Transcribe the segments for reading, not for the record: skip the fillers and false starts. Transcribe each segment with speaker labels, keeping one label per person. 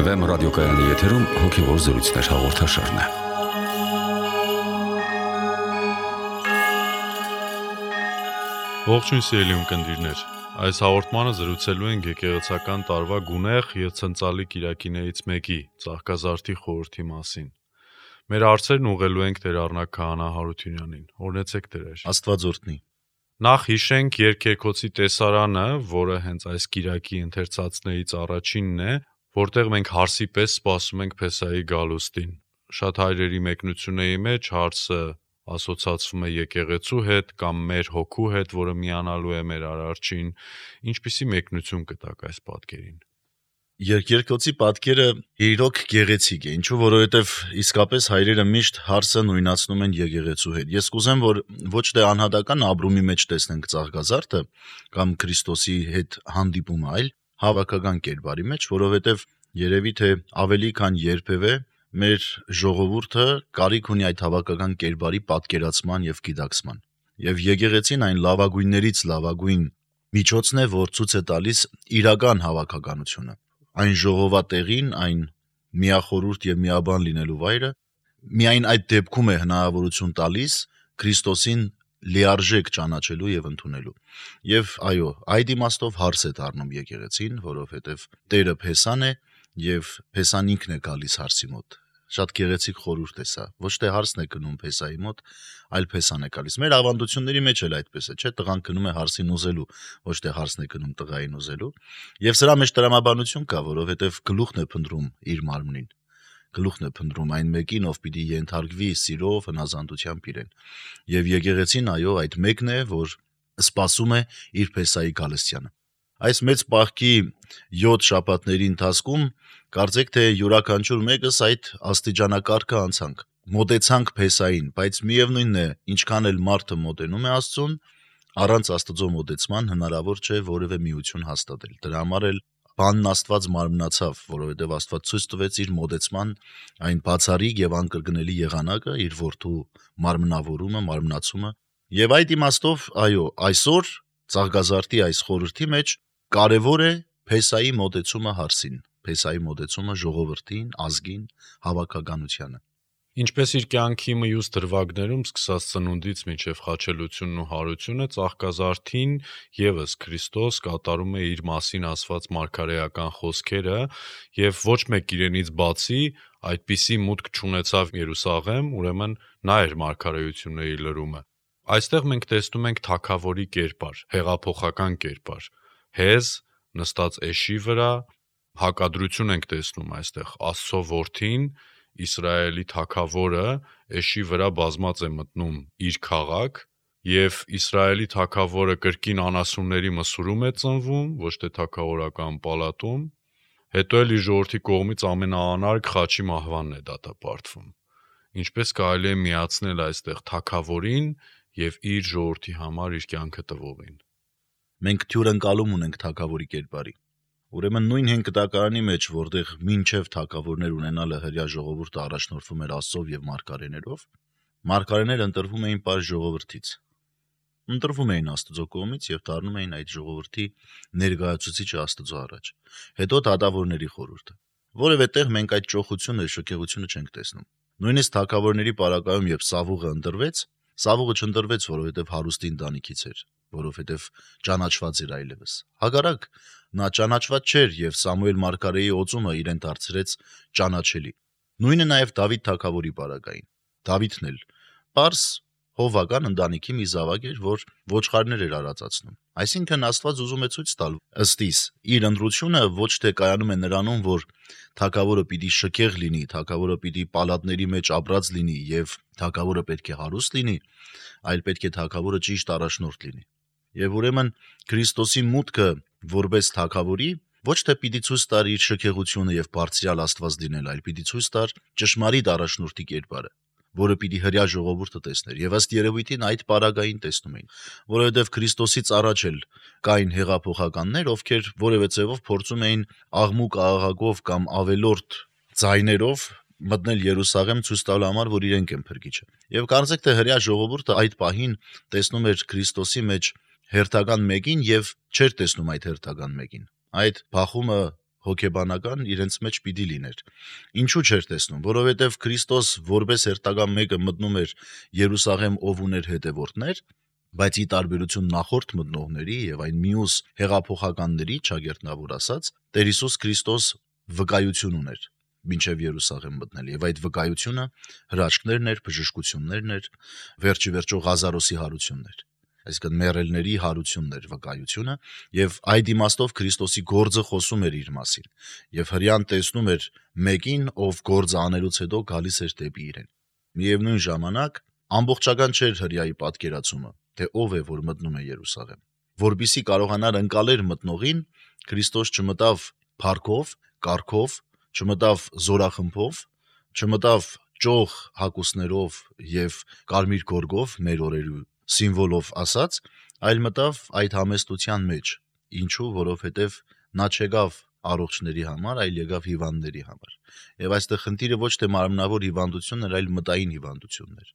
Speaker 1: Վեմ ռադիոկայանի եթերում հոգևոր զրույցներ հաղորդաշարն է։
Speaker 2: Ողջույն սիրելի ունկնդիրներ, այս հաղորդմանը զրուցելու ենք եկեղեցական տարվա գունեղ և ցնծալի կիրակիներից մեկի՝ Ծաղկազարդի խորհրդի մասին։ Մեր հարցերն ուղղելու ենք Տեր Առնակ Քահանա Հարությունյանին։ Օրհնեցեք Տեր։
Speaker 3: Աստված օրհնի։
Speaker 2: Նախ հիշենք Երգերկոցի տեսարանը, որը հենց այս կիրակի ընթերցածներից առաջինն է, որտեղ մենք հարսի պես սպասում ենք Փեսայի գալուստին։ Շատ հայրերի մեկնությունների մեջ հարսը ասոցացվում է եկեղեցու հետ կամ մեր հոգու հետ, որը միանալու է մեր արարչին։ Ինչպիսի մեկնություն կտաք այս պատկերին։
Speaker 3: Երգերկոցի պատկերը իրոք գեղեցիկ է, ինչու որովհետև իսկապես հայրերը միշտ հարսը նույնացնում են եկեղեցու հետ։ Ես կուզեմ, որ ոչ թե անհատական ապրումի մեջ տեսնենք Ծաղկազարդը կամ Քրիստոսի հետ հանդիպումը, այլ հավաքական կերպարի մեջ, որովհետև երևի թե ավելի քան երբևէ մեր ժողովուրդը կարիք ունի այդ հավաքական կերպարի պատկերացման եւ գիտակցման։ Եվ եկեղեցին այն լավագույններից լավագույն միջոցն է, որ ցույց է տալիս իրական հավաքականությունը։ Այն ժողովատեղին, այն միախորհուրդ եւ միաբան լինելու վայրը միայն այդ դեպքում է հնարավորություն տալիս Քրիստոսին լիարժեք ճանաչելու եւ ընդունելու։ Եվ այո, այդ իմաստով հարս է դառնում եկեղեցին, որովհետեւ Տերը Փեսան է եւ Փեսան ինքն է գալիս հարսի մոտ։ Շատ գեղեցիկ խորհուրդ է սա։ Ոչ թե հարսն է գնում Փեսայի մոտ, այլ Փեսան է գալիս։ Մեր ավանդությունների մեջ էլ այդպես է, չէ՞, տղան գնում է հարսին ուզելու, ոչ թե հարսն է գնում տղային ուզելու։ Եվ սրա մեջ տրամաբանություն կա, որովհետեւ գլուխն է փնտրում իր մարմնին։ Գլուխն է փնտրում այն մեկին, ով պիտի ենթարկվի սիրով, հնազանդությամբ իրեն։ Եվ եկեղեցին այո, այդ մեկն է, որ սպասում է իր Փեսայի գալստյանը։ Այս մեծ պահքի 7 շաբաթների ընթացքում կարծեք թե յուրաքանչյուր մեկս այդ աստիճանակարգը անցանք։ Մոտեցանք Փեսային, բայց միևնույնն է, ինչքան էլ մարդը մոտենում է Աստծուն, առանց Աստծո մոտեցման հնարավոր չէ որևէ միություն հաստատել։ Դրա համար էլ բանն Աստված մարմնացավ, որովհետև Աստված ցույց տվեց իր մոտեցման այն բացառիկ եւ անկրկնելի եղանակը, իր որդու մարմնավորումը, մարմնացումը։ Եվ այդ իմաստով, այո, այսօր Ծաղկազարդի այս խորհրդի մեջ կարևոր է Փեսայի մոտեցումը հարսին, Փեսայի մոտեցումը ժողովրդին, ազգին, հավաքականությանը։
Speaker 2: Ինչպես իր կյանքի մյուս դրվագներում, սկսած ծնունդից մինչև խաչելությունն ու հարությունը, Ծաղկազարդին ևս Քրիստոս կատարում է իր մասին ասված մարգարեական խոսքերը եւ ոչ մեկ իրենից բացի այդպիսի մուտք չունեցավ Երուսաղեմ, ուրեմն նա էր մարգարեությունների լրումը։ Այստեղ մենք տեսնում ենք թագավորի կերպար, հեղափոխական կերպար, հեզ նստած էշի վրա, հակադրություն ենք տեսնում այստեղ Աստծո որդին, Իսրայելի թագավորը էշի վրա բազմած է մտնում իր քաղաք եւ Իսրայելի թագավորը կրկին անասունների մսուրում է ծնվում, ոչ թե թագավորական պալատում, հետո էլ իր ժողովրդի կողմից ամենաանարգ խաչի մահվանն է դատապարտվում։ Ինչպես կարելի է միացնել այստեղ թագավորին եւ իր ժողովրդի համար իր կյանքը տվողին։
Speaker 3: Մենք թյուրընկալում ունենք թագավորի կերպարի։ Ուրեմն նույն հենկտակարանի մեջ, որտեղ մինչև թագավորներ ունենալը հրյա ժողովուրդը առաջնորդվում էր Աստծով եւ մարգարեներով, մարգարեները ընտրվում էին պար ժողովրդից։ Ընտրվում էին Աստծո կողմից եւ դառնում էին այդ ժողովրդի ներկայացուցիչը Աստծո առաջ։ Հետո դատավորների խորհուրդը։ Որևէ տեղ մենք այդ ճոխությունը, շքեղությունը չենք տեսնում։ Նույնիսկ թագավորների պարագայում, երբ Սավուղը ընտրվեց, Սավուղը չընտրվեց, որովհետև հարուստի ընտանիքից էր, որովհետև ճանաչված էր այլևս։ Հակառակ, նա ճանաչված չէր եւ Սամուել մարգարեի օծումը իրեն դարձրեց ճանաչելի։ Նույնը նաեւ Դավիթ թագավորի պարագային։ Դավիթն էլ պարս հովական ընտանիքի մի զավակ էր, որ ոչխարներ էր արածացնում։ Այսինքն Աստված ուզում է ցույց տալ ըստիս իր ընտրությունը ոչ թե կայանում է նրանում, որ թագավորը պիտի շքեղ լինի, թագավորը պիտի պալատների մեջ ապրած լինի եւ թագավորը պետք է հարուստ լինի, այլ պետք է թագավորը ճիշտ առաջնորդ լինի։ Եվ ուրեմն Քրիստոսի մուտքը որպես թագավորի ոչ թե պիտի ցույց տար իր շքեղությունը եւ բարձրյալ Աստված լինել, այլ պիտի ցույց տար ճշմարիտ առաջնորդի կերպարը, որը պիտի հրյա ժողովուրդը տեսներ։ Եվ ըստ երևույթին այդ պարագային տեսնում էին, որովհետև Քրիստոսից առաջ էլ կային հեղափոխականներ, ովքեր որևէ ձևով փորձում էին աղմուկ աղաղակով կամ ավելորդ ձայներով մտնել Երուսաղեմ ցույց տալու համար, որ իրենք են փրկիչը։ Եվ կարծեք թե հրյա ժողովուրդը այդ պահին տեսնում էր Քրիստոսի մեջ հերթական մեկին եւ չէր տեսնում այդ հերթական մեկին։ Այդ փախումը հոգեբանական իրենց մեջ պիտի լիներ։ Ինչու չէր տեսնում, որովհետև Քրիստոս որպես հերթական մեկը մտնում էր Երուսաղեմ, ով ուներ հետևորդներ, բայց ի տարբերություն նախորդ մտնողների եւ այն մյուս հեղափոխականների, ճագերտնավոր ասած, Տեր Հիսուս Քրիստոս վկայություն ուներ մինչև Երուսաղեմ մտնել, եւ այդ վկայությունը հրաշքներն էր, բժշկություններն էր, վերջի վերջո Ղազարոսի հարությունն էր, այսինքն մեռելների հարությունն էր վկայությունը, եւ այդ իմաստով Քրիստոսի գործը խոսում էր իր մասին, եւ հրյան տեսնում էր մեկին, ով գործը անելուց հետո գալիս էր դեպի իրեն։ Միևնույն ժամանակ ամբողջական չէր հրյայի պատկերացումը, թե ով է, որ մտնում է Երուսաղեմ։ Որպեսզի կարողանար ընկալել մտնողին, Քրիստոս չմտավ փառքով, կառքով, չմտավ զորախմբով, չմտավ ճոխ հագուստներով եւ կարմիր գորգով մեր օրերու սիմվոլով ասած, այլ մտավ այդ համեստության մեջ։ Ինչու, որովհետեւ նա չեկավ առողջների համար, այլ եկավ հիվանդների համար։ Եվ այստեղ խնդիրը ոչ թե մարմնավոր հիվանդությունն էր, այլ մտային հիվանդությունն էր։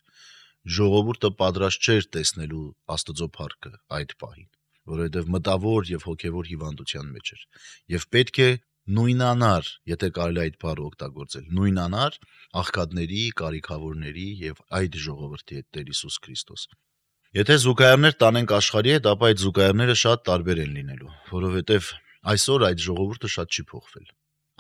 Speaker 3: Ժողովուրդը պատրաստ չէր տեսնելու Աստծո փառքը այդ պահին, որովհետև մտավոր եւ հոգեվոր հիվանդության մեջ էր։ Եվ պետք է նույնանար, եթե կարելի այդ բառը օգտագործել, նույնանար աղքատների, կարիքավորների եւ այդ ժողովրդի հետ Տեր Հիսուս Քրիստոս։ Եթե զուգահեռներ տանենք աշխարհի հետ, ապա այդ զուգահեռները շատ տարբեր են լինելու, որովհետև այսօր այդ ժողովուրդը շատ չի փոխվել։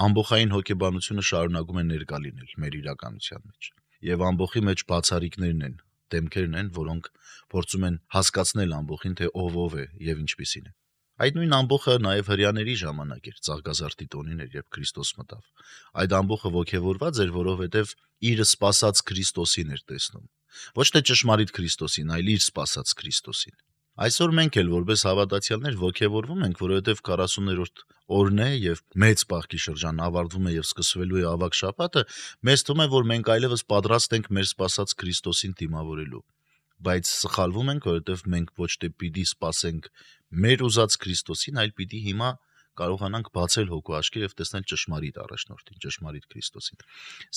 Speaker 3: Ամբողջային հոգեբանությունը շարունակում է ներկա լինել մեր իրականության մեջ, եւ ամբողջի մեջ բացառիկներն են, դեմքերն են, որոնք փորձում են հասկացնել ամբողջին, թե ով է եւ ինչպիսին է։ Այդ նույն ամբողջը նաեւ հрьяաների ժամանակ էր, Ծաղկազարդի տոնին էր, երբ Քրիստոս մտավ։ Այդ ամբողջը ոգևորված էր, որովհետեւ իր սպասած Քրիստոսին էր տեսնում։ Ոչ թե ճշմարիտ Քրիստոսին, այլ իր սպասած Քրիստոսին։ Այսօր մենք էլ որպես հավատացյալներ ոգևորվում ենք, որովհետև 40-րդ օրն է եւ մեծ պահքի շրջան ավարտվում է եւ սկսվելու է ավագ շաբաթը, մեզ թվում է, որ մենք այլևս պատրաստ ենք մեր սպասած Քրիստոսին դիմավորելու։ Բայց սխալվում ենք, որովհետև մենք ոչ թե պիտի սպասենք մեր ուզած Քրիստոսին, այլ պիտի հիմա կարողանանք բացել հոգու աչքերը եւ տեսնել ճշմարիտ առաջնորդին, ճշմարիտ Քրիստոսին։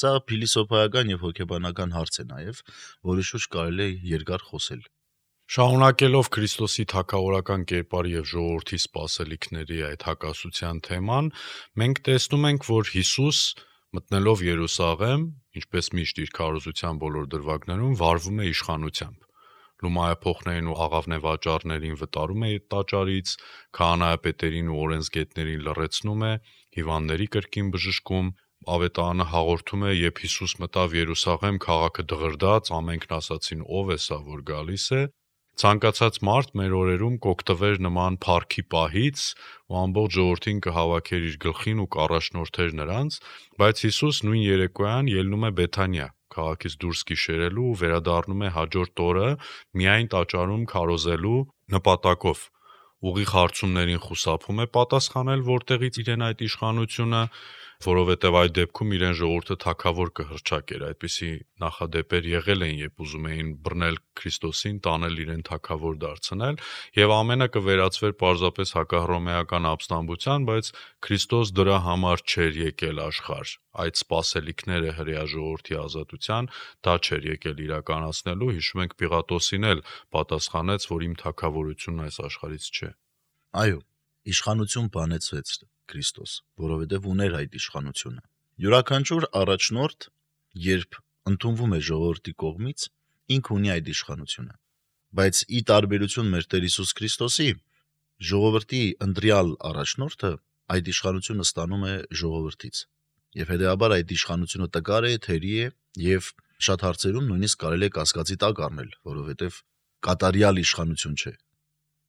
Speaker 3: Սա փիլիսոփայական եւ հոգեբանական հարց է նաեւ, որի շուրջ կարելի է երկար խոսել։
Speaker 2: Շարունակելով Քրիստոսի թագավորական կերպարի եւ ժողովրդի սպասելիքների այդ հակասության թեման, մենք տեսնում ենք, որ Հիսուս մտնելով Երուսաղեմ, ինչպես միշտ իր քարոզության բոլոր դրվագներում, վարվում է իշխանությամբ։ Լումայափոխներին ու աղավնեվաճառներին վտարում է տաճարից, քահանայապետերին ու օրենսգետներին լռեցնում է, հիվանդների կրկին բժշկում, ավետարանը հաղորդում է, երբ Հիսուս մտավ Երուսաղեմ, քաղաքը դղրդաց, ամենքն ասացին ով է սա, որ գալիս է։ Ցանկացած մարդ մեր օրերում կօգտվեր նման փառքի պահից ու ամբողջ ժողովրդին կհավաքեր իր գլխին ու կառաջնորդեր նրանց, բայց Հիսուս նույն երեկոյան ելնում է Բեթանիա, քաղաքից դուրս գիշերելու ու վերադառնում է հաջորդ օրը միայն տաճարում քարոզելու նպատակով։ Ուղիղ հարցումներին խուսափում է պատասխանել, որտեղից իրեն այդ իշխանությունը, որովհետև այդ դեպքում իրեն ժողովուրդը թագավոր կհռչակեր, այդպիսի նախադեպեր եղել են, երբ ուզում էին բռնել Քրիստոսին, տանել իրեն թագավոր դարձնել, եւ ամենը կվերածվեր պարզապես հակահռոմեական ապստամբության, բայց Քրիստոս դրա համար չէր եկել աշխարհ։ Այդ սպասելիքները հրեա ժողովրդի ազատության դա չէր եկել իրականացնելու, հիշում ենք Պիղատոսին էլ պատասխանեց, որ իմ թագավորությունն այս աշխարհից չէ։
Speaker 3: Այո, իշխանություն բանեցվեց Քրիստոս, որովհետև ուներ այդ իշխանությունը։ Յուրաքանչյուր առաջնորդ, երբ ընդունվում է ժողովրդի կողմից, ինքը ունի այդ իշխանությունը։ Բայց ի տարբերություն մեր Տեր Հիսուս Քրիստոսի, ժողովրդի ընտրյալ առաջնորդը այդ իշխանությունը ստանում է ժողովրդից։ Եվ հետեւաբար այդ իշխանությունը տկար է, թերի է եւ շատ հարցերում նույնիսկ կարելի է կասկածի տակ առնել, որովհետև կատարյալ իշխանություն չէ,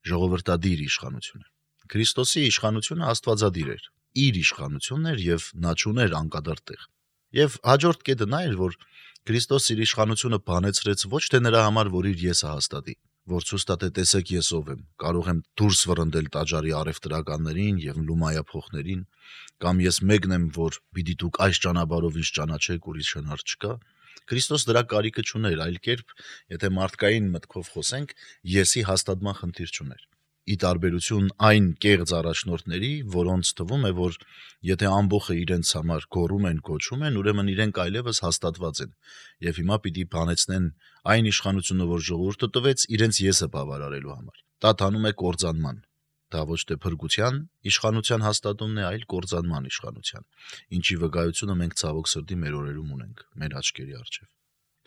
Speaker 3: ժողովրդադիր իշխանություն է։ Քրիստոսի իշխանությունը աստվածադիր էր, իր իշխանությունն էր եւ նա չուներ անկադար տեղ։ Եվ հաջորդ կետը նա էր, որ Քրիստոս իր իշխանությունը բանեցրեց ոչ թե նրա համար, որ իր եսը հաստատի, որ ցույց տա թե տեսեք ես ով եմ, կարող եմ դուրս վռնդել տաճարի արևտրականներին եւ լումայափոխներին, կամ ես մեկն եմ, որ պիտի դուք այս ճանապարհով ինձ ճանաչեք, ուրիշ հնար չկա։ Քրիստոս դրա կարիքը չուներ, այլ կերպ, եթե մարդկային մտքով խոսենք, եսի հաստատման խնդիր չուներ։ Ի տարբերություն այն կեղծ առաջնորդների, որոնց թվում է, որ եթե ամբողջը իրենց համար գոռում են, կոչում են, ուրեմն իրենք այլևս հաստատված են, եւ հիմա պիտի բանեցնեն այն իշխանությունը, որ ժողովուրդը տվեց, իրենց եսը բավարարելու համար։ Դա տանում է կործանման։ Դա ոչ թե փրկության իշխանության հաստատումն է, այլ կործանման իշխանության, ինչի վկայությունը մենք ցավոք սրտի մեր օրերում ունենք, մեր աչքերի առջև։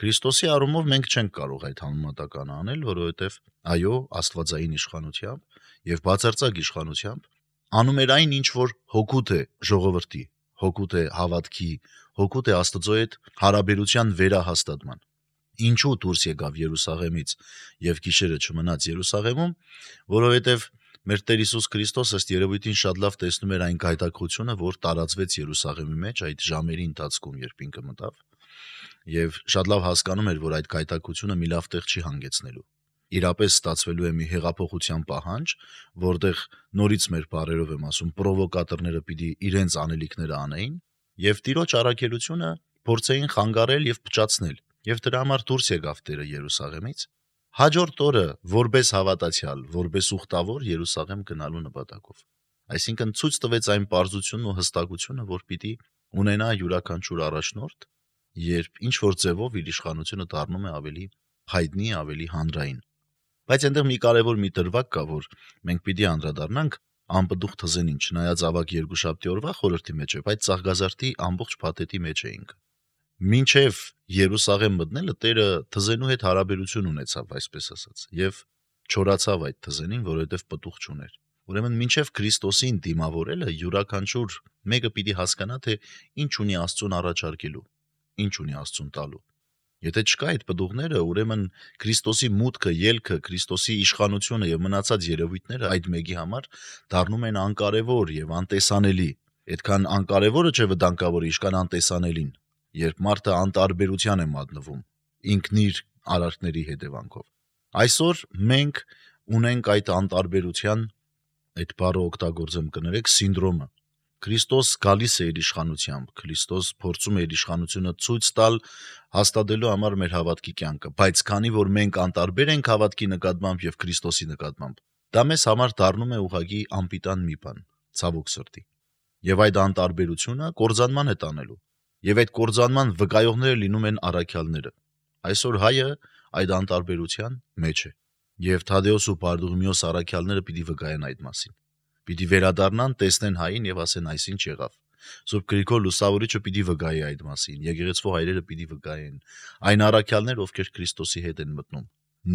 Speaker 3: Քրիստոսի առումով մենք չենք կարող այդ համեմատականը անել, որովհետև այո, աստվածային իշխանությամբ եւ բացարձակ իշխանությամբ անում էր այն, ինչ որ հօգուտ է ժողովրդի, հօգուտ է հավատքի, հօգուտ է Աստծո հետ հարաբերության վերահաստատման։ Ինչու դուրս եկավ Երուսաղեմից եւ գիշերը չմնաց Երուսաղեմում, որովհետեւ մեր Տեր Հիսուս Քրիստոս ըստ երևույթին շատ լավ տեսնում էր այն գայթակղությունը, որ տարածվեց Երուսաղեմի մեջ այդ ժամերի ընթացքում, երբ ինքը մտավ, եւ շատ լավ հասկանում էր, որ այդ գայթակղությունը մի լավ տեղ չի հանգեցնելու։ Իրապես ստացվելու է մի հեղափոխության պահանջ, որտեղ նորից մեր բառերով եմ ասում, պրովոկատորները պիտի իրենց անելիքները անեին եւ Տիրոջ առաքելությունը փորձեին խանգարել եւ փչացնել։ Եվ դրա համար դուրս եկավ Տերը Երուսաղեմից։ Հաջորդ օրը որպես հավատացյալ, որպես ուխտավոր Երուսաղեմ գնալու նպատակով։ Այսինքն ցույց տվեց այն պարզությունն ու հստակությունը, որ պիտի ունենա յուրաքանչյուր առաջնորդ, երբ ինչ որ ձևով իր իշխանությունը դառնում է ավելի հայտնի, ավելի հանրային։ Բայց այնտեղ մի կարևոր մի դրվագ կա, որ մենք պիտի անդրադառնանք անպտուղ թզենին, չնայած ավագ Երկուշաբթի օրվա խորհրդի մեջ է, բայց Ծաղկազարդի ամբողջ փաթեթի մեջ էինք։ Մինչև Երուսաղեմ մտնելը Տերը թզենու հետ հարաբերություն ունեցավ, այսպես ասած, եւ չորացավ այդ թզենին, որովհետեւ պտուղ չուներ։ Ուրեմն մինչև Քրիստոսին դիմավորելը յուրաքանչյուր մեկը պիտի հասկանա, թե ինչ ունի Աստծուն առաջարկելու, ինչ ունի Աստծուն տալու։ Եթե չկա այդ պտուղները, ուրեմն Քրիստոսի մուտքը, ելքը, Քրիստոսի իշխանությունը եւ մնացած երևույթները այդ մեկի համար դառնում են անկարևոր եւ անտեսանելի։ Այդքան անկարևորը չէ վտանգավոր, ինչքան անտեսանելին, երբ մարդը անտարբերության է մատնվում ինքն իր արարքների հետևանքով։ Այսօր մենք ունենք այդ անտարբերության, այդ բառը օգտագործեմ կներեք, սինդրոմը։ Քրիստոս գալիս է իր իշխանությամբ, Քրիստոս փորձում է իր իշխանությունը ցույց տալ, հաստատելու համար մեր հավատքի կյանքը, բայց քանի որ մենք անտարբեր ենք հավատքի նկատմամբ եւ Քրիստոսի նկատմամբ, դա մեզ համար դառնում է ուղղակի անպիտան մի բան, ցավոք սրտի։ Եվ այդ անտարբերությունը կործանման է տանելու, եւ այդ կործանման վկայողները լինում են առաքյալները։ Այսօր հայը այդ անտարբերության մեջ է, եւ Թադեոս ու Բարդուղիմեոս առաքյալները պիտի վկայեն այդ մասին։ Պիտի վերադառնան, տեսնեն հային եւ ասեն այսինչ եղավ։ Սուրբ Գրիգոր Լուսավորիչը պիտի վկայի այդ մասին, եկեղեցու հայրերը պիտի վկայեն, այն առաքյալներ, ովքեր Քրիստոսի հետ են մտնում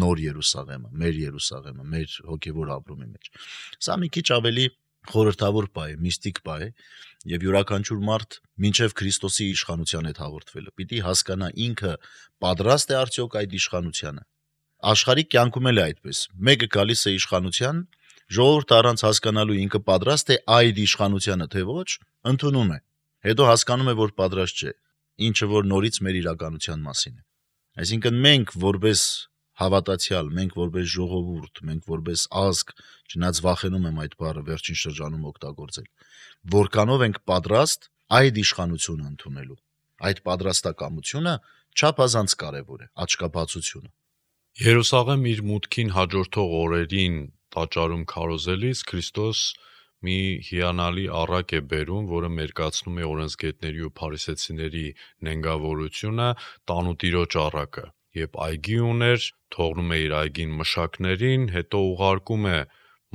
Speaker 3: նոր Երուսաղեմը, մեր հոգեվոր ապրումի մեջ։ Սա մի քիչ ավելի խորհրդավոր պահ է, միստիկ պահ է, եւ յուրաքանչյուր մարդ մինչեւ Քրիստոսի իշխանության հետ հաղորդվելը պիտի հասկանա ինքը պատրաստ է արդյոք այդ իշխանությանը։ Աշխարհի կյանքում էլ է այդպես։ Մեկը գալիս է իշխանության, ժողովուրդը առանց հասկանալու ինքը պատրաստ է այդ իշխանությանը թե ոչ, ընդունում է։ Հետո հասկանում է, որ պատրաստ չէ, ինչը որ նորից մեր իրականության մասին է։ Այսինքն մենք որպես հավատացյալ, մենք որպես ժողովուրդ, մենք որպես ազգ, չնայած վախենում եմ այդ բառը վերջին շրջանում օգտագործել, որքանով ենք պատրաստ այդ իշխանությունը ընդունելու։ Այդ պատրաստակամությունը չափազանց կարևոր է, աչքաբացությունը։
Speaker 2: Երուսաղեմ իր մուտքին հաջորդող օրերին տաճարում քարոզելիս Քրիստոս մի հիանալի առակ է բերում, որը մերկացնում է օրենսգետների ու փարիսեցիների նենգավորությունը տանուտիրոջ առակը, երբ այգի ուներ, թողնում է իր այգին մշակներին, հետո ուղարկում է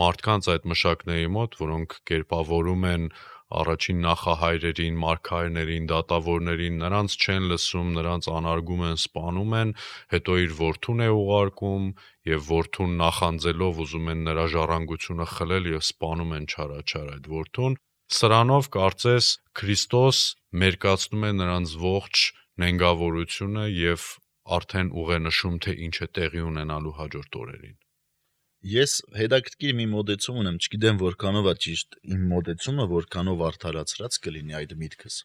Speaker 2: մարդկանց այդ մշակների մոտ, որոնք կերպավորում են առաջին նախահայրերին, մարգարեներին, դատավորներին, նրանց չեն լսում, նրանց անարգում են, սպանում են, հետո իր որդուն է ուղարկում եւ որդուն նախանձելով ուզում են նրա ժառանգությունը խլել եւ սպանում են չարաչար այդ որդուն։ Սրանով կարծես Քրիստոս մերկացնում է նրանց ողջ նենգավորությունը եւ արդեն ուղենշում, թե ինչ է տեղի ունենալու հաջորդ օրերին։
Speaker 3: Ես հետաքրքիր մի մոտեցում ունեմ, չգիտեմ որքանով է ճիշտ իմ մոտեցումը, որքանով արդարացրած կլինի այդ միտքս։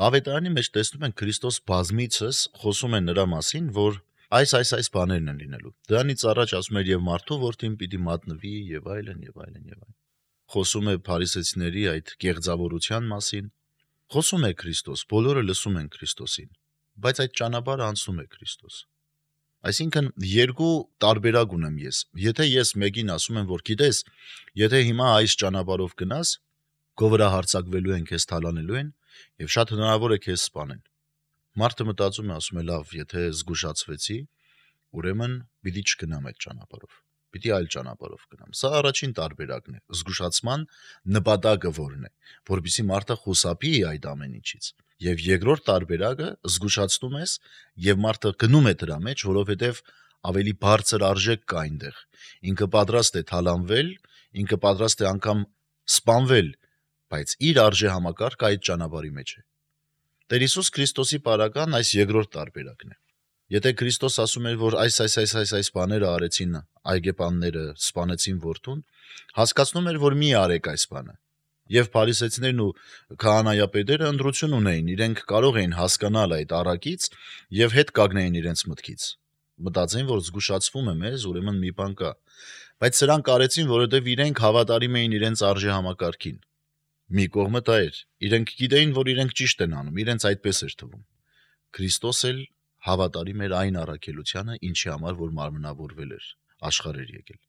Speaker 3: Ավետարանի մեջ տեսնում ենք Քրիստոս բազմիցս խոսում է նրա մասին, որ այս բաներն են լինելու։ Դրանից առաջ ասում էր եւ մարդու որդին պիտի մատնվի եւ այլն եւ այլն եւ այլն։ Խոսում է փարիսեցիների այդ կեղծավորության մասին։ Խոսում է Քրիստոս, բոլորը լսում են Քրիստոսին, բայց այդ ճանապարհը անցնում է Քրիստոս։ Այսինքն երկու տարբերակ ունեմ ես։ Եթե ես մեկին ասում եմ, որ գիտես, եթե հիմա այս ճանապարհով գնաս, քո վրա հարձակվելու են, քեզ թալանելու են եւ շատ հնարավոր է քեզ սպանեն։ Մարդը մտածում է, ասում է, լավ, եթե զգուշացվեցի, ուրեմն պիտի չգնամ այդ ճանապարհով։ Պիտի այլ ճանապարհով գնամ։ Սա առաջին տարբերակն է։ Զգուշացման նպատակը որն է, որպեսզի մարդը խուսափի այդ ամեն ինչից։ Եվ երկրորդ տարբերակը զգուշացնում ես եւ մարդը գնում է դրա մեջ, որովհետեւ ավելի բարձր արժեք կա այնտեղ։ Ինքը պատրաստ է թալանվել, ինքը պատրաստ է անգամ սպանվել, բայց իր արժե համակարգը այդ ճանապարհի մեջ է։ Տեր Հիսուս Քրիստոսի պարական այս երկրորդ տարբերակն է։ Եթե Քրիստոս ասում էր, որ այս բաները արեցին այգեպանները, սպանեցին որդուն, հասկացնում էր, որ մի արեք այս բանը։ Եվ փարիսեցիներն ու քահանայապետերը ընտրություն ունեին, իրենք կարող էին հասկանալ այդ առակից եւ հետ կանգնեին իրենց մտքից։ Մտածեին, որ զգուշացվում է մեզ, ուրեմն մի բան կա։ Բայց սրանք արեցին, որովհետեւ իրենք հավատարիմ էին իրենց արժե համակարգին։ Մի կողմը դա էր։ Իրենք գիտեին, որ իրենք ճիշտ են անում, իրենց այդպես էր թվում։ Քրիստոս էլ հավատարիմ էր այն առաքելությանը, ինչի համար որ մարմնավորվել էր, աշխարհ էր եկել։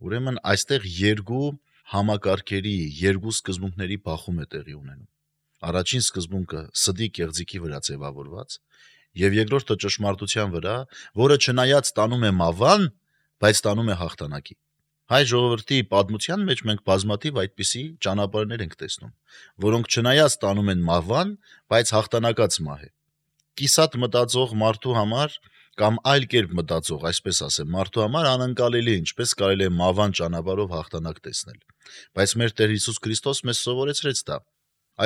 Speaker 3: Ուրեմն այստեղ երկու համակարգերի, երկու սկզբունքների բախում է տեղի ունենում։ Առաջին սկզբունքը սդի կեղծիքի վրա ձևավորված, եւ երկրորդը ճշմարտության վրա, որը չնայած տանում է մավան, բայց տանում է հաղթանակի։ Հայ ժողովրդի պատմության մեջ մենք բազմաթիվ այդպիսի ճանապարհներ ենք տեսնում, որոնք չնայած տանում են մավան, բայց հաղթանակած մահ է։ Կիսատ մտածող մարդու համար կամ այլ կերպ մտածող, այսպես ասեմ, մարդու համար անընկալելի է, ինչպես կարելի է մավան ճանապարհով հաղթանակ տեսնել։ Բայց մեր Տեր Հիսուս Քրիստոս մեզ սովորեցրեց դա։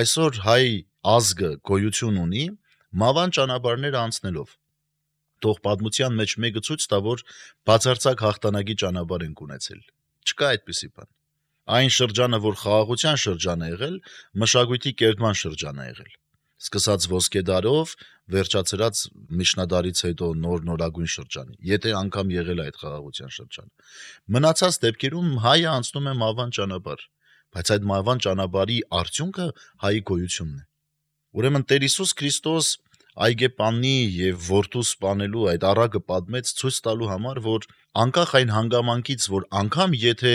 Speaker 3: Այսօր հայ ազգը գոյություն ունի մավան ճանապարհները անցնելով։ Թող պատմության մեջ մեկը ցույց տա, որ բացարձակ հաղթանակի ճանապարհ ենք ունեցել։ Չկա այդպիսի բան։ Այն շրջանը, որ խաղաղության շրջան է եղել, մշակույթի կերտման շրջան է եղել։ Սկսած ոսկեդարով, վերջացրած միջնադարից հետո նորագույն շրջանի, եթե անգամ եղել է այդ խաղաղության շրջանը։ Մնացած դեպքերում հայը անցնում է մավան ճանապարհ, բայց այդ մավան ճանապարհի արդյունքը հայի գոյությունն է։ Ուրեմն Տեր Հիսուս Քրիստոս այգեպանի եւ որդու սպանելու այդ առակը պատմեց ցույց տալու համար, որ անկախ այն հանգամանքից, որ անգամ եթե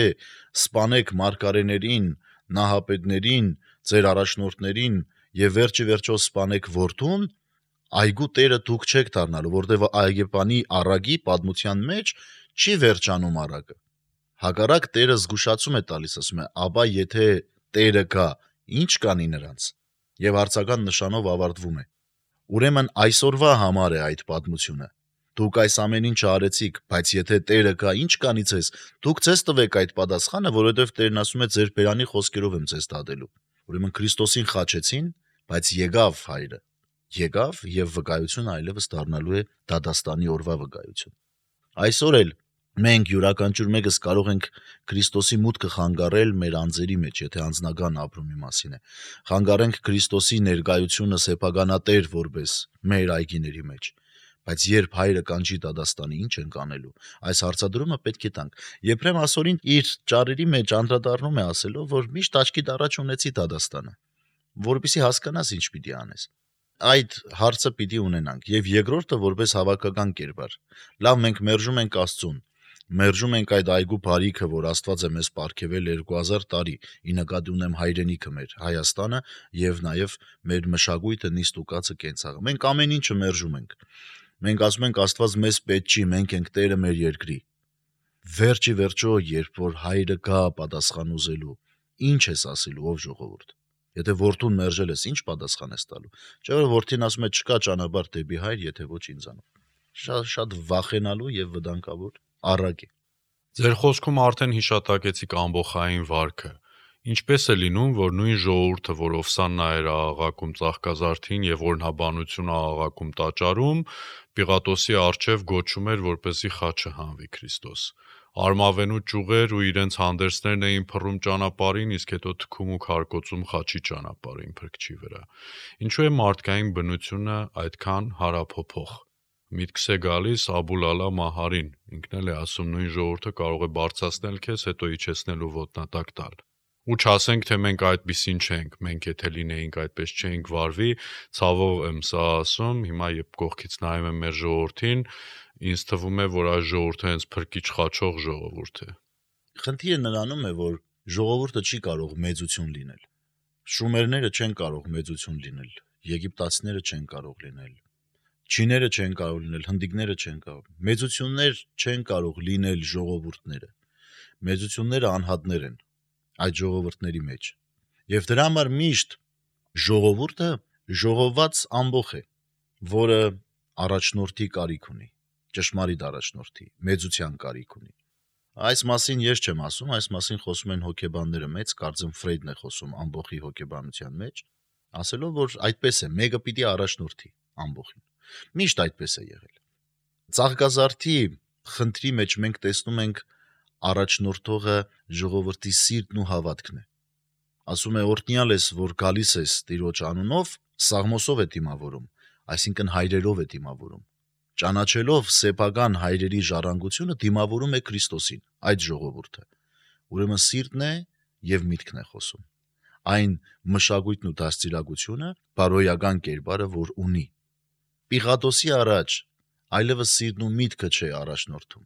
Speaker 3: սպանեք մարգարեներին, նահապետներին, ձեր առաջնորդներին եւ վերջի վերջո սպանեք որդուն, այգու տերը դուք չեք դառնալու, որտեղ այգեպանի առակի պատմության մեջ չի վերջանում առակը։ Հակառակ Տերը զգուշացում է տալիս, ասում է, ապա եթե Տերը գա, ինչ կանի նրանց։ Եվ հարցական նշանով ավարտվում է։ Ուրեմն այսօրվա համար է այդ պատմությունը։ Դուք այս ամեն ինչը արեցիք, բայց եթե Տերը գա, ինչ կանի ձեզ։ Դուք ձեզ տվեք այդ պատասխանը, որովհետև Տերն ասում է ձեր բերանի խոսքերով եմ ձեզ դատելու։ Ուրեմն Քրիստոսին խաչեցին, բայց եկավ հայրը։ Եկավ եւ վկայությունը այլևս դառնալու է դատաստանի օրվա վկայություն։ Այսօր էլ մենք յուրաքանչյուր մեկս կարող ենք Քրիստոսի մուտքը խանգարել մեր անձերի մեջ, եթե անձնական ապրումի մասին է։ Խանգարենք Քրիստոսի ներկայությունը սեփականատեր որպես մեր այգիների մեջ։ Բայց երբ հայրը կանչի դատաստանի, ինչ ենք անելու։ Այս հարցադրումը պետք է տանք։ Եփրեմ ասորին իր ճառերի մեջ անդրադառնում է ասելով, որ միշտ աչքիդ առաջ ունեցի դատաստանը, որպեսզի հասկանաս ինչ պիտի անես։ Այդ հարցը պիտի ունենանք եւ երկրորդը որպես հավաքական կերպար։ Լավ, մենք մերժում ենք Աստծուն, մերժում ենք այդ այգու բարիքը, որ Աստված է մեզ պարգևել 2000 տարի, ի նկատի ունեմ հայրենիքը մեր Հայաստանը եւ նաեւ մեր մշակույթը, նիստ ու կացը կենցաղը։ Մենք ամեն ինչը մերժում ենք։ Մենք ասում ենք Աստված մեզ պետք չի, մենք ենք Տերը մեր երկրի։ Վերջի վերջո, երբ որ հայրը գա պատասխան ուզելու, ինչ ես ասելու ով ժողովուրդ։ Եթե որդուն մերժել ես, ինչ պատասխան ես տալու։ Չէ՞ որ որդին ասում է չկա ճանապարհ դեպի հայր, եթե ոչ ինձանով։ Շատ վախենալու եւ վտանգավոր առակ է։
Speaker 2: Ձեր խոսքում արդեն հիշատակեցիք ամբողջային վարքը։ Ինչպես է լինում, որ նույն ժողովուրդը, որ Օվսաննա էր աղաղակում Ծաղկազարդին եւ օրհնաբանությունը աղաղակում տաճարում, Պիղատոսի առջև գոչում էր, որպեսզի խաչը հանվի Քրիստոս։ Արմավենու ճյուղեր ու իրենց հանդերձներն էին փռում ճանապարհին, իսկ հետո թքում ու քարկոծում խաչի ճանապարհին փրկչի վրա։ Ինչու է մարդկային բնությունը այդքան հարափոփող։ Միտքս է գալիս Աբուլ Ալա Մահարին, ինքն էլ է ասում նույն ժողովուրդը կարող է բարձրացնել քեզ, հետո իջեցնել ու ոտնատակ տալ։ Ու չասենք, թե մենք այդպիսին չենք, մենք եթե լինեինք այդպես չէինք վարվի, ցավով եմ սա ասում, հիմա երբ կողքից նայում եմ մեր ժողովրդին, ինձ թվում է, որ այս ժողովուրդը հենց փրկիչ խաչող ժողովուրդ է։
Speaker 3: Խնդիրը նրանում է, որ ժողովուրդը չի կարող մեծություն լինել։ Շումերները չեն կարող մեծություն լինել, եգիպտացիները չեն կարող լինել, չիները չեն կարող լինել, հնդիկները չեն կարող։ Մեծություններ չեն կարող լինել ժողովուրդները։ մեծությունները անհատներ են այդ ժողովուրդների մեջ։ Եվ դրա համար միշտ ժողովուրդը ժողոված ամբոխ է, որը առաջնորդի կարիք ունի, ճշմարիտ առաջնորդի, մեծության կարիք ունի։ Այս մասին ես չեմ ասում, այս մասին խոսում են հոգեբանները մեծ, կարծեմ Ֆրեյդն է խոսում ամբոխի հոգեբանության մեջ, ասելով, որ այդպես է, մեկը պիտի առաջնորդի ամբոխին։ Միշտ այդպես է եղել։ Ծաղկազարդի խնդրի մեջ մենք տեսնում ենք առաջնորդողը ժողովրդի սիրտն ու հավատքն է։ Ասում է օրհնյալ ես, որ գալիս ես Տիրոջ անունով, սաղմոսով է դիմավորում, այսինքն հայրերով է դիմավորում։ Ճանաչելով սեփական հայրերի ժառանգությունը դիմավորում է Քրիստոսին, այդ ժողովուրդը։ Ուրեմն սիրտն է եւ միտքն է խոսում։ Այն մշակույթն ու դաստիարակությունը, բարոյական կերպարը, որ ունի։ Պիղատոսի առաջ այլևս սիրտն ու միտքը չէ առաջնորդում։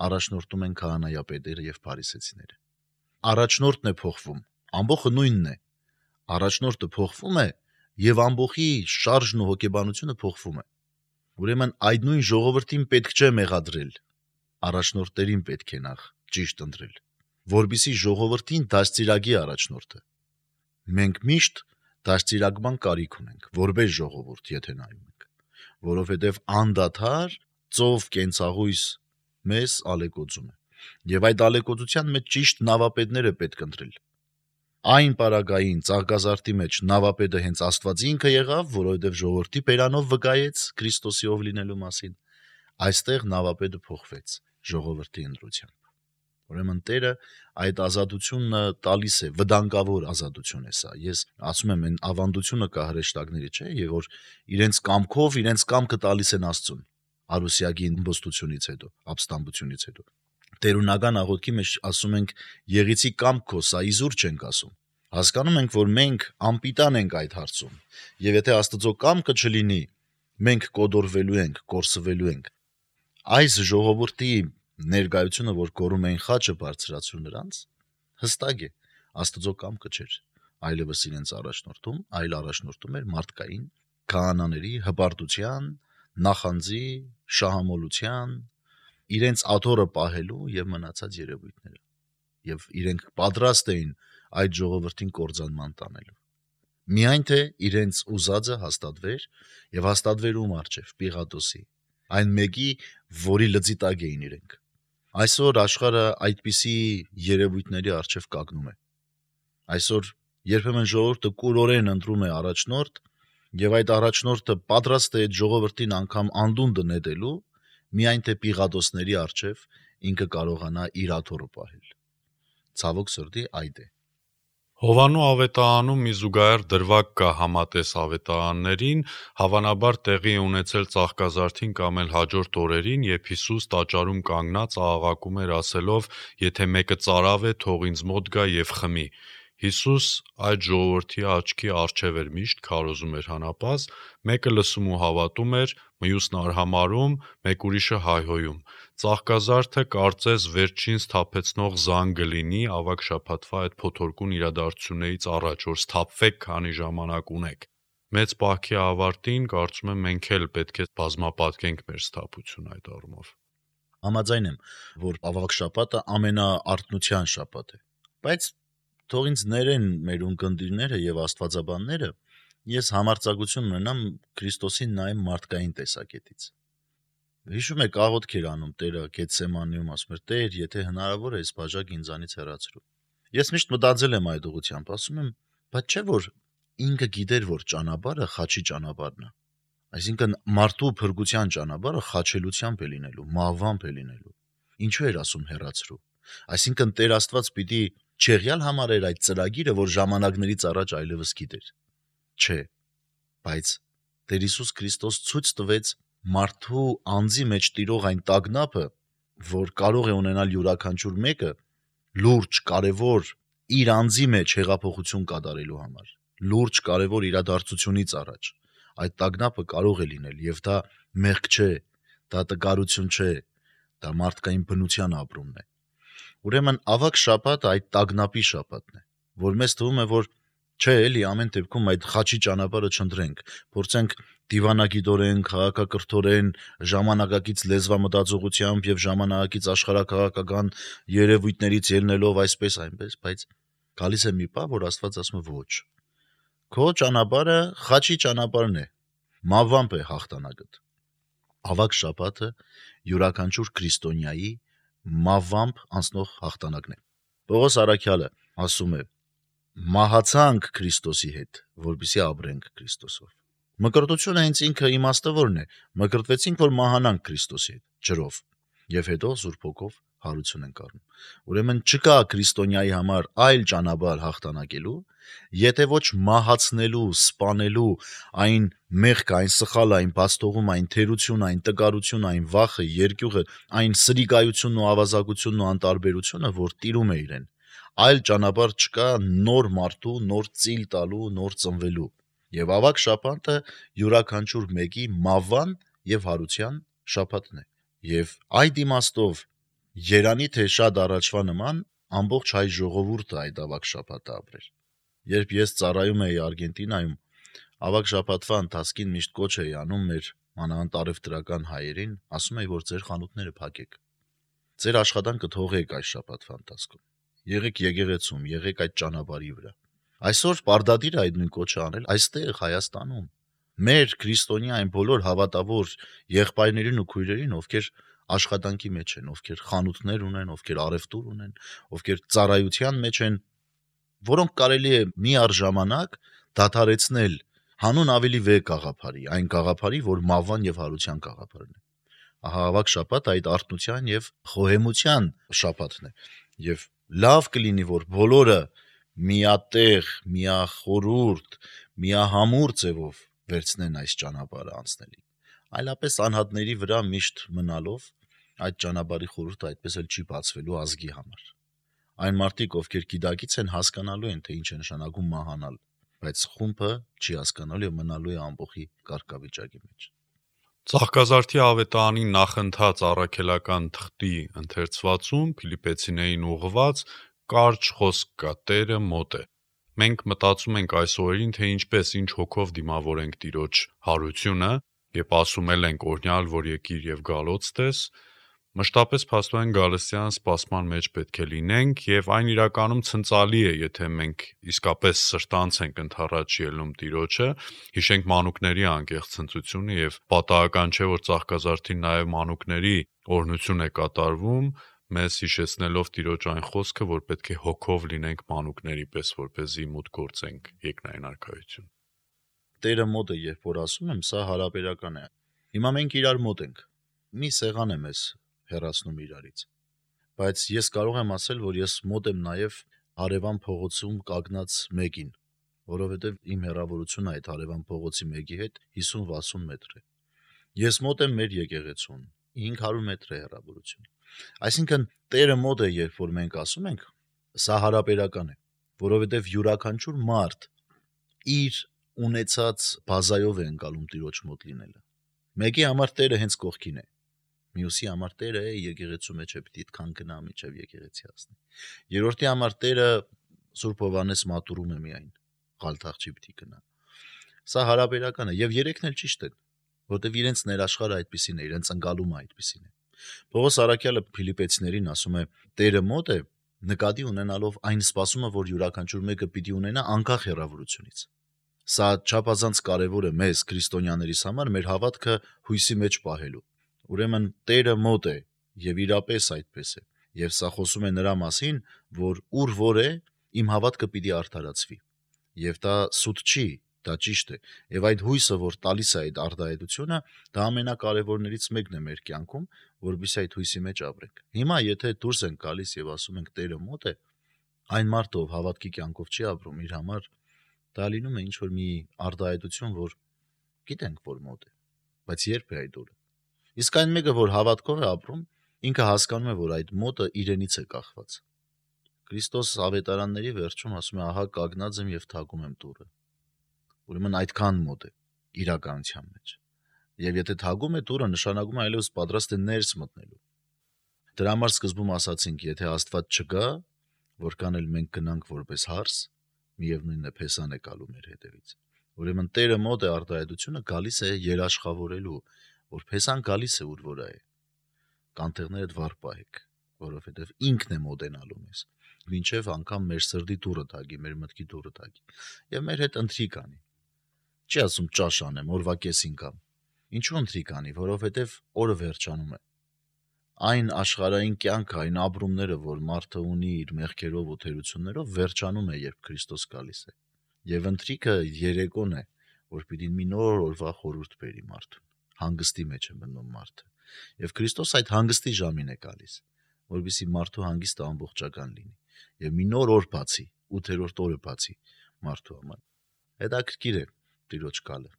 Speaker 3: Առաջնորդում են քահանայապետերը եւ փարիսեցիները։ Առաջնորդն է փոխվում, ամբոխը նույնն է։ Առաջնորդը փոխվում է եւ ամբոխի շարժն ու հոգեբանությունը փոխվում է։ Ուրեմն այդ նույն ժողովրդին պետք չէ մեղադրել, առաջնորդներին պետք է նախ ճիշտ ընտրել, որբիսի ժողովրդին դաստիարակի առաջնորդը։ Մենք միշտ դաստիարակման կարիք ունենք, որպես ժողովուրդ, եթե նայում ենք, որովհետև անդադար ծով կենցաղույս մեզ ալեկոծում է, եւ այդ ալեկոծության մեջ ճիշտ նավապետները պետք ընտրել։ Այն պարագային ծաղկազարդի մեջ նավապետը հենց Աստվածի ինքը եղավ, որովհետև ժողովրդի բերանով վկայեց Քրիստոսի ով լինելու մասին։ Այստեղ նավապետը փոխվեց ժողովրդի ընտրությամբ։ Ուրեմն Տերը այդ ազատությունը տալիս է, վտանգավոր ազատություն է սա։ Ես ասում եմ, այն ավանդությունը կա հրեշտակների, չէ, եւ որ իրենց կամքով, իրենց կամքը տալիս են Աստծուն։ Արուսյակի իմբոստությունից հետո, ապստամբությունից հետո։ Տերունական աղոթքի մեջ ասում ենք եղիցի կամք քո, սա իզուր չենք ասում։ Հասկանում ենք, որ մենք անպիտան ենք այդ հարցում։ Եվ եթե Աստծո կամքը չլինի, մենք կոդորվելու ենք, կորսվելու ենք։ Այս ժողովրդի ներկայությունը, որ կորում էին խաչը բարձրացրու նրանց, հստակ է, Աստծո կամքը չէր այլևս իրենց առաջնորդում, այլ առաջնորդում էր մարդկային քահանաների հպարտության, նախանձի, շահամոլության, իրենց աթոռը պահելու եւ մնացած երևույթները։ Եվ իրենք պատրաստ էին այդ ժողովրդին կործանման տանելու։ Միայն թե իրենց ուզածը հաստատվեր եւ հաստատվեր ում առջև Պիղատոսի, այն մեկի, որի լծի տակ էին իրենք։ Այսօր աշխարհը այդպիսի երևույթների առջև կանգնում է։ Այսօր երբեմն ժողովուրդը կուրորեն ընտրում է առաջնորդ եւ այդ առաջնորդը պատրաստ է այդ ժողովրդին անգամ անդունդը նետելու, միայն թե Պիղատոսների առջև ինքը կարողանա իր աթոռը պահել։ Ցավոք սրտի այդ է։
Speaker 2: Հովանու ավետարանում մի զուգահեռ դրվագ կա համատես ավետարաններին, հավանաբար տեղի է ունեցել ծաղկազարդին կամ էլ հաջորդ օրերին, երբ Հիսուս տաճարում կանգնած աղաղակում էր ասելով. «Եթե մեկը ծարավ է, թող ինձ մոտ գա եւ խմի»։ Հիսուս այդ ժողովրդի աչքի առջև էր միշտ քարոզում էր հանապազ, մեկը լսում ու հավատում էր, մյուսն արհամարհում, մեկ ուրիշը հայհոյում։ Ծաղկազարդը կարծես վերջին սթափեցնող զանգը լինի ավագ շաբաթվա այդ փոթորկուն իրադարձություններից առաջ, որ սթափվեք, քանի ժամանակ ունեք։ Մեծ պահքի ավարտին կարծում եմ մենք էլ պետք է բազմապատկենք մեր սթափությունը այդ առումով։
Speaker 3: Համաձայն եմ, որ ավաղ շաբաթը ամենաարթնության շաբաթ է, բայց թող ինձ ներեն մեր ունկնդիրները եւ աստվածաբանները, ես համարձակություն ունենամ Քրիստոսին նայեմ մարդկային տեսակետից։ Հիշում եք աղոթք էր անում Տերը Գեթսեմանիում, ասում էր. «Տեր, եթե հնարավոր է, այս բաժակը ինձանից հեռացրու»։ Ես միշտ մտածել եմ այդ ուղղությամբ, ասում եմ, բայց չէ՞ որ ինքը գիտեր, որ ճանապարհը խաչի ճանապարհն է։ Այսինքն մարդու փրկության ճանապարհը խաչելությամբ է լինելու, մահվամբ է լինելու։ Ինչու էր ասում հեռացրու։ Այսինքն Տեր Աստված պիտի չեղյալ համարեր այդ ծրագիրը, որ ժամանակներից առաջ այլևս գիտեր։ Չէ, բայց Տեր Հիսուս Քրիստոս ցույց տվեց մարդու անձի մեջ տիրող այն տագնապը, որ կարող է ունենալ յուրաքանչյուր մեկը լուրջ, կարևոր իր անձի մեջ հեղափոխություն կատարելու համար, լուրջ, կարևոր իրադարձությունից առաջ։ Այդ տագնապը կարող է լինել եւ դա մեղք չէ, դա տկարություն չէ, դա մարդկային բնության ապրումն է։ Ուրեմն ավագ շաբաթը այդ տագնապի շաբաթն է, որ մեզ թվում է, որ չէ, էլի ամեն դեպքում այդ խաչի ճանապարհը չընտրենք, փորձենք դիվանագիտորեն, քաղաքակրթորեն, ժամանակակից լեզվամտածողությամբ եւ ժամանակակից աշխարհակաղակական երևույթներից ելնելով այսպես այնպես, բայց գալիս է մի պահ, որ Աստված ասում է ոչ։ Քո ճանապարհը խաչի ճանապարհն է, մավամբ է հաղթանակդ։ Ավակ շաբաթը յուրաքանչյուր քրիստոնյայի մավամբ անցնող հաղթանակն է։ Պողոս Արաքյալը ասում է. «Մահացանք Քրիստոսի հետ, որպեսզի ապրենք Քրիստոսով»։ Մկրտությունը հենց ինքը իմաստավորն է, մկրտվեցինք, որ մահանանք Քրիստոսի հետ, ջրով, եւ հետո Սուրբ Հոգով հարություն ենք առնում։ Ուրեմն չկա քրիստոնյայի համար այլ ճանապարհ հաղթանակելու, եթե ոչ մահացնելու, սպանելու այն մեղքը, այն սխալը, այն բացթողումը, այն թերությունը, այն տկարությունը, այն վախը, երկյուղը, այն սրիկայությունն ու ավազակությունն ու անտարբերությունը, որ տիրում է իրեն։ Այլ ճանապարհ չկա նոր մարդու, նոր ծիլ տալու, նոր ծնվելու։ Եվ ավակ շաբաթը յուրաքանչյուր մեկի մավան եւ հարության շաբաթն է։ Եվ այդ իմաստով երանի թե շատ առաջվա նման ամբողջ հայ ժողովուրդը այդ ավակ շաբաթը ապրեր։ Երբ ես ծառայում էի Արգենտինայում, ավակ շաբաթվա ընթացքին միշտ կոչ էի անում մեր մանավանդ հայերին, ասում էի, որ ձեր խանութները փակեք։ Ձեր աշխատանքը թողեք այս շաբաթվա ընթացքում։ Եղեք եկեղեցում, եղեք այդ ճանապարհի վրա։ Այսօր պարտադիր է այդ նույն կոչը անել այստեղ Հայաստանում։ Մեր քրիստոնյա այն բոլոր հավատավոր եղբայրներին ու քույրերին, ովքեր աշխատանքի մեջ են, ովքեր խանութներ ունեն, ովքեր առևտուր ունեն, ովքեր ծառայության մեջ են, որոնք կարելի է միառժամանակ դադարեցնել հանուն ավելի վեհ գաղափարի, այն գաղափարի, որ մավան եւ հարության գաղափարն է։ Ահա ավակ շաբաթ այդ արթնության եւ խոհեմության շաբաթն է։ Եվ լավ կլինի, որ բոլորը միատեղ, միախորուրդ, միահամուր ձևով վերցնեն այս ճանապարհը անցնելի։ Այլապես անհատների վրա միշտ մնալով այդ ճանապարհի խորհուրդը այդպես էլ չի բացվելու ազգի համար։ Այն մարդիկ, ովքեր գիտակից են, հասկանալու են, թե ինչ է նշանակում մահանալ, բայց խումբը չի հասկանալու եւ մնալու է ամբողջի կարգավիճակի մեջ։
Speaker 2: Ծաղկազարդի ավետարանի նախընթաց առաքելական թղթի ընթերցվածում Փիլիպպեցիներին ուղղված կարճ խոսք կա. Տերը մոտ է։ Մենք մտածում ենք այս օրերին, թե ինչպես ինչ հոգով դիմավորենք Տիրոջ հարությունը, երբ ասում ենք օրհնյալ, որ եկիր եւ գալոց տես, մշտապես փաստորեն գալստյան սպասման մեջ պետք է լինենք եւ այն իրականում ցնցալի է, եթե մենք իսկապես սրտանց ենք ընդառաջ ելնում Տիրոջը, հիշենք մանուկների անկեղծ ցնծությունը եւ պատահական չէ, որ ծաղկազարդին նաեւ մանուկների օրհնություն է կատարվում, մեզ հիշեցնելով Տիրոջ այն խոսքը, որ պետք է հոգով լինենք մանուկների պես, որպեսզի մուտք գործենք երկնային արքայություն։
Speaker 3: Տերը մոտ է, երբ որ ասում եմ, սա հարաբերական է։ Հիմա մենք իրար մոտ ենք։ Մի սեղան է մեզ հեռացնում իրարից։ Բայց ես կարող եմ ասել, որ ես մոտ եմ նաև Արևան փողոցում կանգնած մեկին, որովհետև իմ հեռավորությունը այդ Արևան փողոցի մեկի հետ 50-60 մետր է։ Ես մոտ եմ մեր եկեղեցուն, 500 մետր է հեռավորություն։ Այսինքն Տերը մոտ է, երբ որ մենք ասում ենք, սա հարաբերական է, որովհետև յուրաքանչյուր մարդ իր ունեցած բազայով է ընկալում Տիրոջ մոտ լինելը։ Մեկի համար Տերը հենց կողքին է, մյուսի համար Տերը է եկեղեցու մեջ է, պիտի այդքան գնա միջև եկեղեցի հասնի։ Երրորդի համար Տերը Սուրբ Հովհաննես մատուրում է միայն, Ղալթաղջի պիտի գնա։ Սա հարաբերական է եւ երեքն էլ ճիշտ են, որտեվ իրենց ներաշխարհը այդպեսին է, իրենց ընկալումը այդպեսին է։ Պողոս Արաքյալը Փիլիպպեցիներին ասում է. Տերը մոտ է, նկատի ունենալով այն սպասումը, որ յուրաքանչյուր մեկը պիտի ունենա անկախ հեռավորությունից։ Սա չափազանց կարևոր է մեզ քրիստոնյաներիս համար մեր հավատքը հույսի մեջ պահելու։ Ուրեմն Տերը մոտ է եւ իրապես այդպես է։ Եվ սա խոսում է նրա մասին, որ ուր որ է, իմ հավատքը պիտի արդարացվի։ Եվ դա սուտ չի, դա ճիշտ է։ Եվ այդ հույսը, որ տալիս է այդ արդարացությունը, դա ամենակարևորներից մեկն է մեր կյանքում, որովհետեւ այդ հույսի մեջ ապրենք։ Հիմա եթե դուրս ենք գալիս եւ ասում ենք Տերը մոտ է, այն մարդը, ով հավատքի կյանքով չի ապրում, իր համար դա լինում է ինչ որ մի արդարացություն, որ գիտենք, որ մոտ է, բայց երբ է այդ օրը։ Իսկ այն մեկը, որ հավատքով է ապրում, ինքը հասկանում է, որ այդ մոտը իրենից է կախված։ Քրիստոս ավետարանների վերջում ասում է. ահա կանգնած եմ եւ թակում եմ դուռը։ Ուրեմն այդքան մոտ է իրականության մեջ։ Եվ եթե թակում է դուռը, նշանակում է այլևս պատրաստ է ներս մտնելու։ Դրա համար սկզբում ասացինք, եթե Աստված չկա, որքան էլ մենք գնանք որպես հարս, միևնույնն է փեսան է գալու մեր հետևից։ Ուրեմն Տերը մոտ է արտահայտությունը գալիս է երաշխավորելու, որ փեսան գալիս է ուր որ է։ Կանթեղներդ վառ պահեք, որովհետև ինքն է մոտենալու մեզ, մինչև անգամ մեր սրտի դուռը թակի, մեր մտքի դուռը թակի, եւ մեր հետ ընթրիք անի։ Չի ասում ճաշ անեմ, օրվա կեսին կամ։ Ինչու ընթրիք անի, որովհետև օրը վերջանում է։ Այն աշխարհային կյանքը, այն ապրումները, որ մարդը ունի իր մեղքերով ու թերություններով, վերջանում է, երբ Քրիստոս գալիս է։ Եվ ընթրիքը երեկոն է, որ պիտի մի նոր օրվա խորհուրդ բերի մարդուն։ Հանգստի մեջ է մտնում մարդը։ Եվ Քրիստոս այդ հանգստի ժամին է գալիս, որովհետեւ մարդու հանգիստը ամբողջական լինի։ Եվ մի նոր օր բացի, 8-րդ օրը բացի մարդու համար։ Հետաքրքիր է Տիրոջ գալը։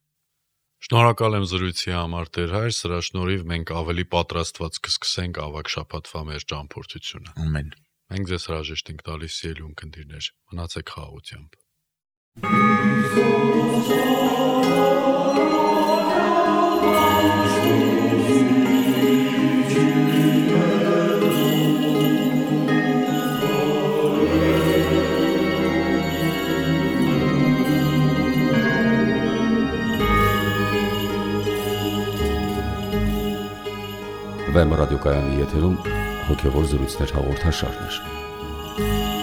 Speaker 2: Շնորհակալ եմ զրույցի համար, Տեր Հայր, սրա շնորհիվ մենք ավելի պատրաստված կսկսենք ավագ շաբաթվա մեր ճամփորդությունը։
Speaker 3: Ամեն։
Speaker 2: Մենք ձեզ հրաժեշտ ենք տալիս ելուն քնդիրներ։ Մնացեք խաղաղությամբ։
Speaker 1: Վեմ ռադիոկայանի եթերում հոգևոր զրույցներ հաղորդաշարներ։